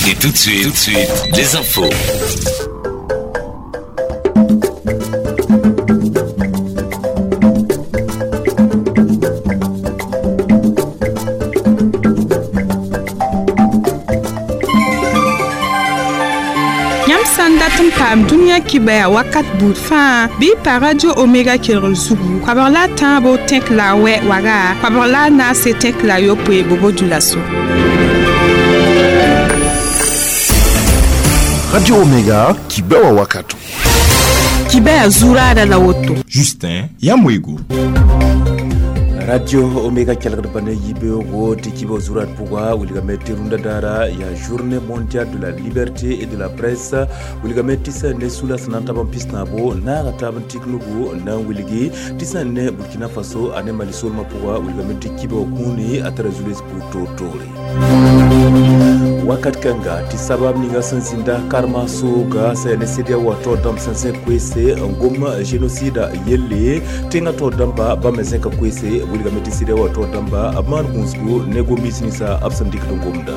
Et tout de suite, les infos. Yãmb sã n dat n paam dũniyã kibaya wakat buud fãa bɩ y pa Radio Omega kelgr zugu koabg la a tãabo tẽk la a wɛ waga koabg la a naase tẽk la a yopoe bobo dioulasso. Radio Omega kibewa wakato. Kibaya zuraada la woto. Justin Yamwego. Radio Omega kelgd bãna yibeoogo tɩ kibg zurat pʋga wilgame tɩ rũndã daara yaa journée mondiale de la liberté et de la presse wilgame tɩ sẽn ne sula sẽn na n tab n pis tãabo naaga taab n tik nugu n na n wilgi tɩ sẽn ne Burkina Faso ane Mali soolmã pʋga wilgame tɩ kibg kũuni a tara zules pʋʋg toor-toore. Wakat kãnga tɩ sabab ninga sẽn zĩnda karma sooga sã yaa ne CEDEAO wã taoor dãmb sẽn zẽk koeese n gom génocide yelle tẽngã taoor dãmba bãmb me zẽka koeese wilgame tɩ CEDEAO wã taoor dãmba b maan gũusgo ne gom-biis ninsã b sẽn dɩkd n gomdã.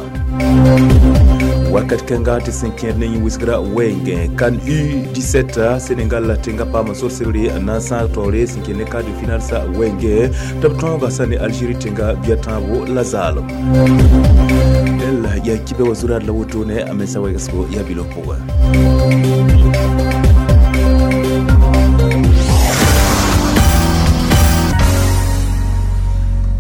Wakat kãnga tɩ sẽn kẽed ne yĩn-wisgrã wɛɛngẽ CAN U17 Sénégal tẽngã paam sor sebre n na n sãag taoore sẽn kẽ ne quart de finale sa wɛɛngẽ tɩ b tõoga sã ne Algérie tẽngã bia tãabo la zaalem. El yaa kibɛ wa zurad la wotone a mensa wɛgsgo yaa bilf pʋgẽ.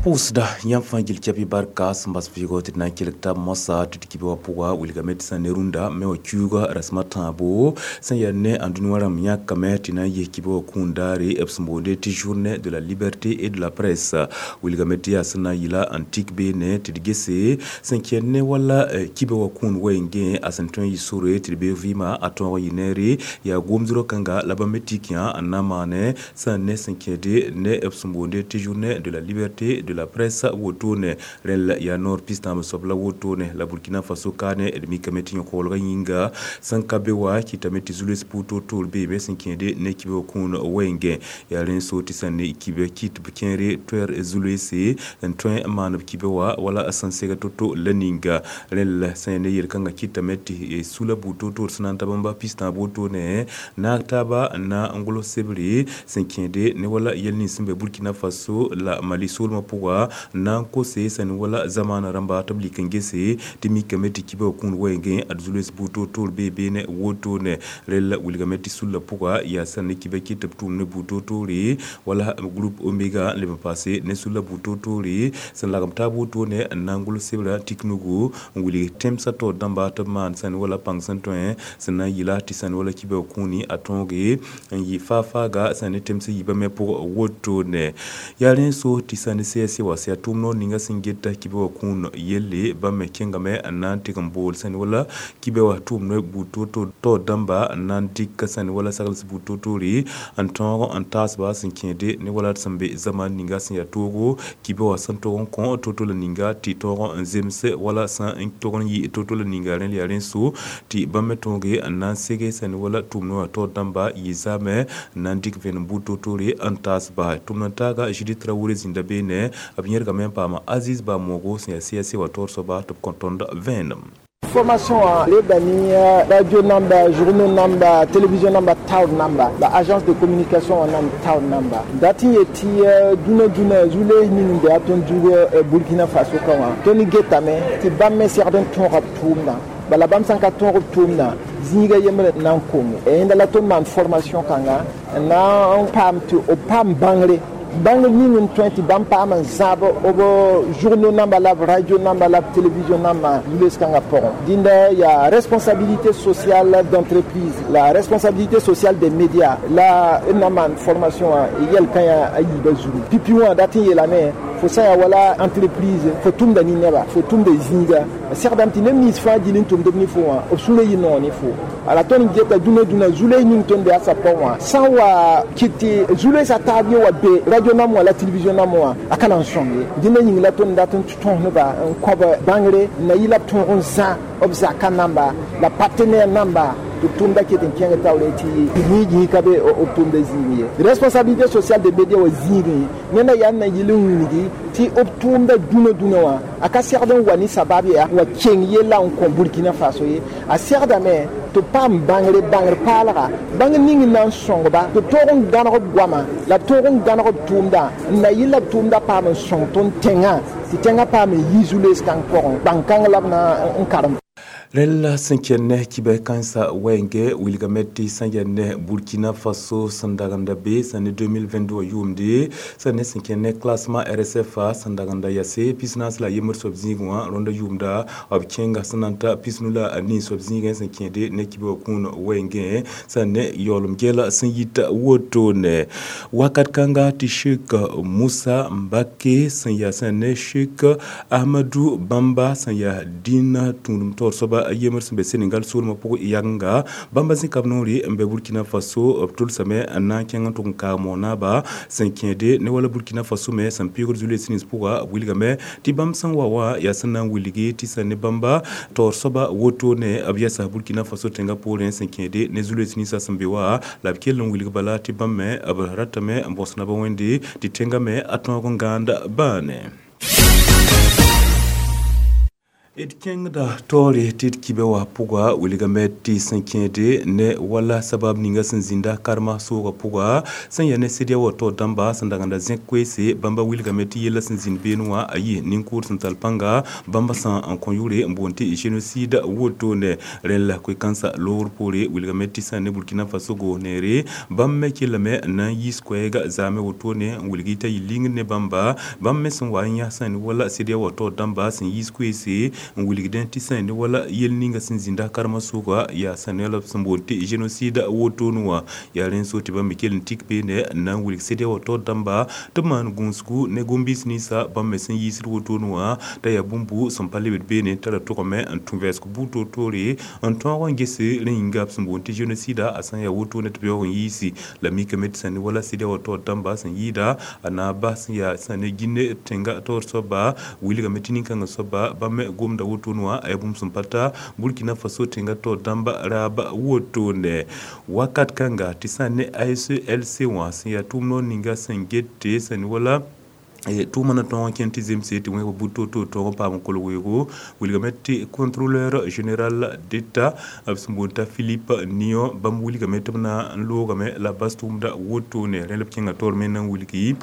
Pʋʋsda yãmb fãa gil kɛpɩ barka sẽn bas vɩɩgɔ tɩ d na n kelg tab moasã tɩ d kibã wã pʋga wilgame tɩ sã ne rũndã me wã kiuuga rasem a tãabo sẽn yaa ne ãndũnĩ wã rãmb yãkame tɩ na n yes kibã wã kũun daare b sẽn boonde tɩ journée de la liberté et de la presse wilgame tɩ yaa sẽn na n yɩla n tik beene tɩ d gese sẽn kẽnd ne wala kibã wã kũun wɛɛngẽ a sẽn tõe n yɩ sore tɩ d beoog vɩɩmã a tõog n yɩ neere yaa gomdrã kãnga la bãmb me tik yã n na n maane sã n ne sẽn kẽede ne b sẽn boonde tɩ journée de la liberté de la presse wotone rẽl yaa noor pis-tãab soab la wotone la Burkina Faso kaane d mikame tɩ yõ-koglgã yĩnga sẽn ka be wa kɩtame tɩ zules pʋʋg toor-toor beeme sẽn kẽede ne kibg kũun wɛɛngẽ yaa rẽ so tɩ sẽn ne kibã kɩt b kẽere toɛɛr zulese n tõe n maan b kibã wã wala sẽn seg to-to la ninga rẽl sẽn ne yel-kãngã kɩtame tɩ sula buud toor-toor sẽn na n tab n ba pis-tãab wotone naag taaba n na n gʋls sebre sẽn kẽede ne wala yɛl nins sẽn be Burkina Faso la Mali soolmã pʋga n na n kose sẽn wala zamaana rãmba tɩ b lik n gese tɩ mikame tɩ kibã kũun wɛɛngẽ ad zules buud toor-toor bee beene wotone rel wilgame tɩ sulla pʋga yaa sẽn ne kibã kɩt tɩ b tʋʋm ne buud toor-toore wala groupe Omega n leb n paase ne sulla buud toor-toore sẽn lagem taab wotone n na n gʋls sebrã tik nugu n wilg tẽmsã taoor dãmba tɩ b maan sẽn wala pãng sẽn tõe sẽn na n yɩla tɩ sẽn wala kibã kũuni a tõoge n yɩ faa-faaga sẽn ne tẽms yiibã me pʋg wotone yaa rẽ so tɩ sã ne CSC wa sẽn yaa tʋʋm noor ninga sẽn geta kibã wã kũun yelle bãmb me kẽngame n na n tɩg n bool sẽn wala kibã wã tʋʋm ne buud toor-toor taoor dãmba n na n dɩk sẽn wala sagls buud toor-toore n tõog n taasba sẽn kẽede ne wala d sẽn be zamaan ninga sẽn yaa toogo kibã wã sẽn tog n kõ to-to la ninga tɩ tõog n zems wala sẽn n tog n yɩ to-to la ninga rẽ yaa rẽ so tɩ bãmb me tõoge n na n sege sẽn wala tʋʋm ne wã taoor dãmba yɩ zaame n na n dɩk vẽenem buud toor-toore n taas ba tʋʋm n taaga Judith Traoré zĩnda beene b yẽrgame n paama Aziz Bamogo sẽn yaa CSC wã taoor soaba tɩ b kõ tõnd vẽenem. Formation lebani radio namba, journaux namba, télévision namba, town namba, la agence de communication nam town namba. Dati yeti duna duna zule ning de aton dugo Burkina Faso kawa. Toni getame ti bamme serden ton rap tumna. Bala bam sanka ton rap tumna. Zĩiga yembre na n konge. E la ton man formation kanga na n paam tɩ o paam bãngre bãngr ning n tõe tɩ bãmb paam n zãab b journaux namba la b radio namba la b télévision namba zules kãngã pʋgẽ dĩnda yaa responsabilité sociale d'entreprise, la responsabilité sociale des médias la n na maan formation wã yɛl kã yaa a yiibã zugu pipi wã dat n yeelame fo sã yaa wala entreprise fo tʋmda ne neba fo tʋmda zĩiga segdame tɩ neb nins fãa gil n tʋmdb ne fo wã b sũurã yɩ noog ne fo ala tõnd geta dũnã dũnã zules ning tõnd be a sa pʋgẽ wã sã n wa kɩt tɩ zulesã taab yẽ wa be radio nam wã la télévision nam wã a ka na n sõng ye dĩnã yĩng la tõnd dat n tõs neba n kõb bãngre n na yɩ la b tõog n zã b zaka namba la partenaire namba Tɩ b tʋʋmda ket n kẽng taoore tɩ yĩig ka be b tʋʋmda zĩig ye. Responsabilité sociale des médias wã zĩigẽ nenda yaa n na yɩl n wilgi tɩ b tʋʋmda dũnã dũnã wã a ka segd n wa ne sabab yaa wa keng yella n kõ Burkina Faso ye. A segdame tɩ b paam bãngre bãngr paalga bãng ning n na n sõngba tɩ b toog n gãneg b goama la b toog n gãneg b tʋʋmda n na yɩl la b tʋʋmda paam n sõng tõnd tẽngã tɩ tẽngã paam n yi zu-loees kãng pʋgẽ bãng-kãng la b na n karem. Rẽlla sẽn kẽn ne kibɛ kãensã wɛɛngẽ wilgame tɩ sẽn yaa ne Burkina Faso sẽn dagenda be sẽn ne 2022 wã yʋʋmde sẽn ne sẽn kẽn ne classement RSFA sẽn dagenda yase 44 la yembr soab zĩigẽ wã rõnda yʋʋmda b kẽnga sẽn na n ta 59 soab zĩigẽ sẽn kẽede ne kibɛ wã kũun wɛɛngẽ sẽn ne yaoolem gɛɛla sẽn yita wotone. Wakat kãnga tɩ Cheikh Moussa Mbake sẽn yaa sẽn ne Cheikh Ahmadou Bamba sẽn yaa dĩn tũudem taoor soaba a yembr sẽn be Senegal soolmã pʋgẽ yagenga bãmba zĩka b noore n be Burkina Faso b tʋlsame n na n kẽng n tʋg n kaag moonaba sẽn kẽede ne wala Burkina Faso me sẽn pɩʋgd zu-loees nins pʋga b wilgame tɩ bãmb sẽn wa wã yaa sẽn na n wilgi tɩ sẽn ne bãmba taoor soaba wotone b yɛsa Burkina Faso tẽngã poorẽ sẽn kẽede ne zu-loees ninsã sẽn be wa la b kell n wilg bala tɩ bãmb me b ratame n bõs naba wẽnde tɩ tẽngã me a tõog n gãanda bãane. D kẽngda taoore tɩ d kibɛ wã pʋga wilgame tɩ sẽn kẽede ne wala sabab ninga sẽn zĩnda karema soogã pʋga sẽn yaa ne CEDEAO taoor dãmba sẽn dagenda zẽk koeese bãmba wilgame tɩ yella sẽn zĩnd beene wã a yɩ nin-kʋʋd sẽn tall pãnga bãmba sã n kõ yʋʋre n boond tɩ génocide wotone. Rẽn la koe-kãensã loogr poore wilgame tɩ sẽn ne Burkina Faso goos neere bãmb me kellame n na n yiis koɛɛga zaame wotone n wilg t'a yɩ lingd ne bãmba bãmb me sẽn wa n yã sẽn ne wala CEDEAO taoor dãmba sẽn yiis koeese n wilgdẽ tɩ sẽn ne wala yel ninga sẽn zĩnda karema sʋka yaa sẽn ne la b sẽn boond tɩ génocide wotone wã yaa rẽn so tɩ bãmb me kell n tik beene n na n wilg CEDEAO taoor dãmba tɩ b maan gũusgu ne gom-biis ninsã bãmb me sẽn yiisd wotone wã t'a yaa bũmbu sẽn pa lebd beene t'a ra tʋgame n tũ vɛɛsg buud toor-toore n tõog n ges rẽ yĩnga b sẽn boond tɩ génocide a sã n yaa wotone tɩ b yaoog n yiisi la mikame tɩ sẽn ne wala CEDEAO taoor dãmba sẽn yɩɩda a na bas sẽn yaa sẽn ne Guinée tẽnga taoor soaba wilgame tɩ nin-kãngã soaba bãmb me gomda wotone wã a yaa bũmb sẽn pa ta Burkina Faso tẽngã taoor dãmba raab wotone. Wakat kãnga tɩ sã n ne ASLC wã sẽn yaa tʋʋm noor ninga sẽn gete sẽn wala tʋʋmã na tõog n kẽnd tɩ zemse tɩ wẽneg bud toor-toor tõog n paam n kolg weoogo wilgame tɩ contrôleur général d'état b sẽn boond t'a Philippe Nion bãmb wilgame tɩ b na n loogame la bas tʋʋmda wotone. Rẽ la b kẽnga taoor me na n wilgi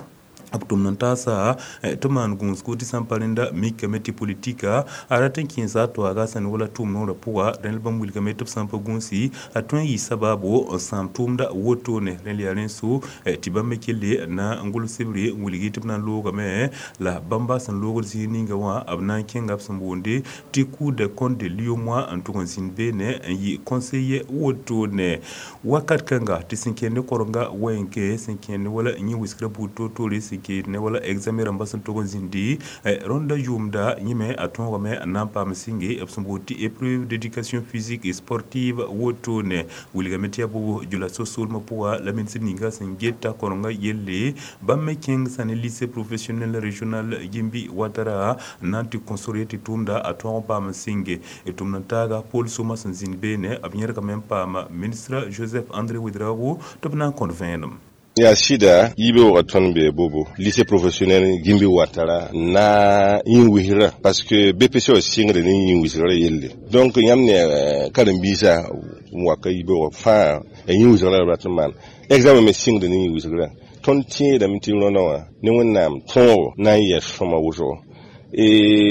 b tʋmd n taasa tɩ maan gũusgo tɩ sã n pa rẽnda mikame tɩ politika a rat n kẽesa a toaaga sẽn wala tʋʋm noorã pʋga rẽ la bãmb wilgame tɩ b sã n pa gũusi a tõe n yɩ sabaabo n sãam tʋʋmda wotone. Rẽ la yaa rẽn so tɩ bãmb me kelle na n gʋls sebre n wilgi tɩ b na n loogame la bãmba sẽn loogd zĩig ninga wã b na n kẽnga b sẽn boonde tɩ Cour des comptes de l'UEMOA n tʋg n zĩnd beene n yɩ conseiller wotone. Wakat kãnga tɩ sẽn kẽnd ne korenga wɛɛngẽ sẽn kẽnd wala yẽ wɩsgrã buud toor-toore sẽn kẽed ne wala examen rãmbã sẽn tog n zĩndi rõnda yʋʋmda yẽme a tõogame n na n paam sɩnge b sẽn boond tɩ épreuve d'éducation physique et sportive wotone. Wilgame tɩ yaa bobo jula-so soolmã pʋga la ministr ninga sẽn geta korenga yelle bãmb me kẽng sã ne lycée professionnel régional Gimbi Ouattara n na n tɩ consore tɩ tʋʋmda a tõog n paam n sɩnge tʋmd n taaga Paul Soma sẽn zĩnd beene b yẽrgame n paam ministre Joseph André Ouedraogo tɩ b na n kõt vẽenem. Ya sida yibe waga tõnd be bobo lycée professionnel Gimbi Ouattara na yĩn wisra parce que BPC wa sɩngre ne yĩn wisgra yelle donc yãmb ne karen-biisã n wa ka yibe wa fãa ya yĩn wisgra la rat n maan examen me sɩngde ne yĩn wisgra tõnd tẽedame tɩ rõndã wã ne Wẽnnaam tõogo na n yɛs sõma wʋsgo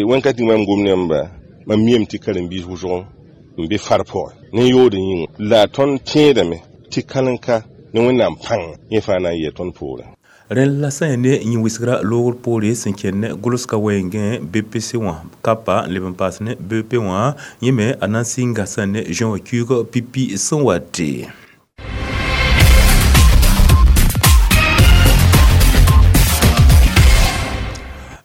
wẽn-ka tɩ mam gom nembã mam miame tɩ karen-biis wʋsg n be far pʋgẽ ne yood yĩnga la tõnd tẽedame tɩ kalen-ka ne Wẽnnaam pãng yẽ fãa na n yɛ tõnd poorẽ. Rẽn la sã n ne yẽ wɩsgrã loogr poore sẽn kẽnd ne gʋlsga wɛɛngẽ BPC wã kapa n leb n paas ne BP wã yẽ me a na n sɩnga sã ne juin wã kiuug pipi sẽn wate.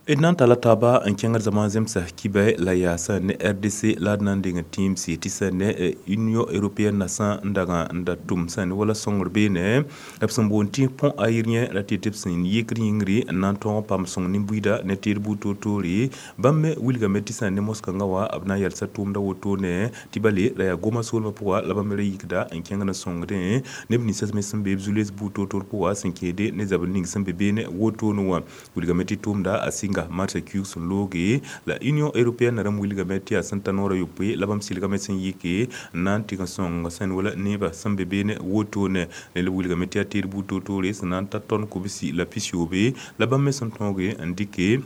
D na n talla taaba n kẽngd zãma zemsa kibɛ la yaa sã ne RDC la d na n deng tĩimsi tɩ sã ne Union européenne na sã n dag n da tʋm sã ne wala sõngr beene b sẽn boond tɩ pont aérien ra tɩ tɩ b sẽn yɩkd yĩngri n na n tõog n paam sõng nin-buiida ne teed buud toor-toore. Bãmb me wilgame tɩ sã ne moskãngã wã b na n yalsa tʋʋmda wotone tɩ bale la yaa goma soolmã pʋga la bãmb me ra yikda n kẽngd n sõngdẽ neb ninsã me sẽn be b zu-loees buud toor-toor pʋga sẽn kẽede ne zabr ning sẽn be beene wotone wã. Wilgame tɩ tʋʋmda a sɩnga marsã kiuug sẽn looge la Union européenne rãmb wilgame tɩ yaa sẽn ta noorã yopoe la bãmb sɩlgame sẽn yike n na n tɩg n sõng sẽn wala nebã sẽn be beene wotone. La b wilgame tɩ yaa teed buud toor-toore sẽn na n ta tɔn kobsi la pisiyoobe la bãmb me sẽn tõoge n dɩke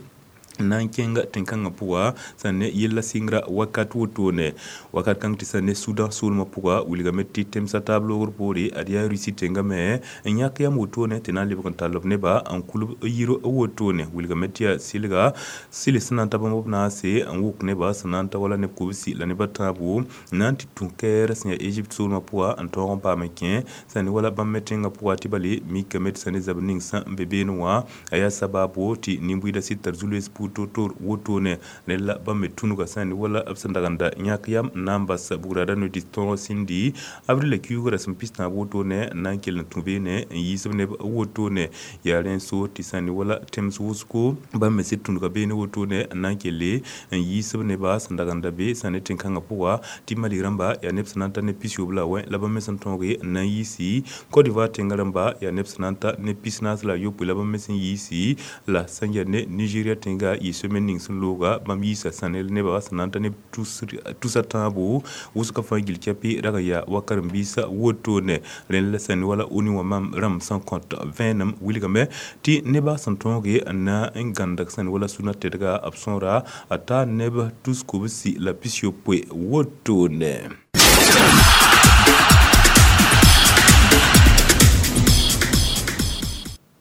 n na n kẽnga tẽn-kãngã pʋga sã ne yella sɩngra wakat wotone. Wakat kãng tɩ sã ne Sudan soolmã pʋga wilgame tɩ temsa taab loogr poore ad yaa Rusi tẽngã me n yãk yam wotone tɩ na n lebg n tall b neba n kulb yir wotone. Wilgame tɩ yaa sɩlga sɩl sẽn na n ta bãmb b naase n wʋk neba sẽn na n ta wala neb kobsi la neb a tãabo n na n tɩ tũ kɛɛr sẽn yaa Egypte soolmã pʋga n tõog n paam n kẽ sã ne wala bãmb me tẽngã pʋga tɩ bale mikame tɩ sã ne zabr ning sã n be beene wã a yaa sabaabo tɩ nin-buiidã sɩd tar zu-loees buud toor-toor wotone. Rẽnd la bãmb me tũnuga sã ne wala b sẽn dag n da yãk yam n na n bas bugrada no-dɩt tõog sĩndi avril la kiuuga rasem pis-tãab wotone n na n kell n tũ beene n yiis b neb wotone. Yaa rẽn so tɩ sã ne wala tẽms wʋsgo bãmb me sɩd tũnuga beene wotone n na n kelle n yiis b neba sẽn dag n da be sã ne tẽn-kãngã pʋga tɩ Mali rãmba yaa neb sẽn na n ta ne pisiyoob la wẽ la bãmb me sẽn tõoge n na n yiisi Côte d'Ivoire tẽngã rãmba yaa neb sẽn na n ta ne pis-naas la yopoe la bãmb me sẽn yiisi la sẽn yaa ne Nigeria tẽnga yɩ semaine ning sẽn looga bãmb yiisa sã ne nebã sẽn na n ta neb tusa tãabo wʋsgã fãa gil kɛpɩ rag n yaa wa karen-biisã wotone. Rẽnd la sã ne wala ONU wã mam rãmb sẽn kõt vẽenem wilgame tɩ nebã sẽn tõoge n na n gãndag sã ne wala sũnã tedga b sõora a taa neb tus kobsi la pis-yopoe wotone.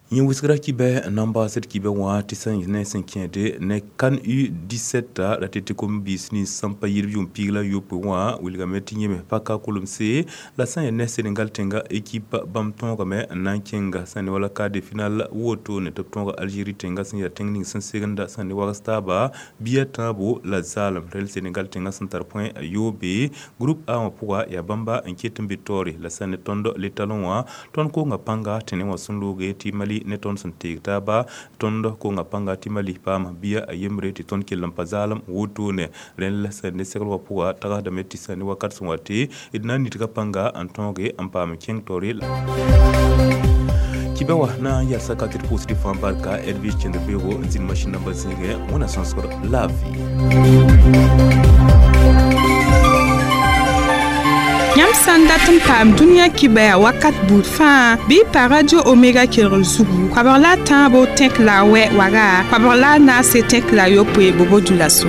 Yẽ wɩsgra kibɛ n na n baasd kibɛ wã tɩ sẽn ne sẽn kẽede ne CAN U17 ra tɩ tɩ kom-biis nins sẽn pa yɩlb yʋʋm piig la yopoe wã wilgame tɩ yẽme paka kolemse la sã n yaa ne Senegal tẽnga équipe bãmb tõogame n na n kẽnga sã ne wala quart de finale wotone tɩ b tõoga Algérie tẽnga sẽn yaa tẽng ning sẽn segenda sã ne wags taaba bia tãabo la zaalem. Rel Senegal tẽnga sẽn tar point a yoobe groupe A wã pʋga yaa bãmba n ket n be taoore la sã ne tõnd le talon wã tõnd konga pãnga tɩ ne wã sẽn looge tɩ Mali ne tõnd sẽn teeg taaba tõnd konga pãnga tɩ Mali paam bia a yembre tɩ tõnd kell n pa zaalem wotone. Rẽnd la sã ne segl wã pʋga tagsdame tɩ sã ne wakat sẽn wa tɩ d na n nidga pãnga n tõoge n paam kẽng taoore. Kibɛ wã na n yalsa ka tɩ d pʋʋsd fãa barka Edwige kẽnd beoogo n zĩnd masĩn nambã zĩigẽ wẽna sõsgr laafɩ. Yãmb sã n dat n paam dũniyã kibɛa wakat buud fãa bɩ y pa radio Omega kelgr zugu koabg la a tãabo tẽk la a wɛ waga koabg la a naase tẽk la a yopoe bobo dula so.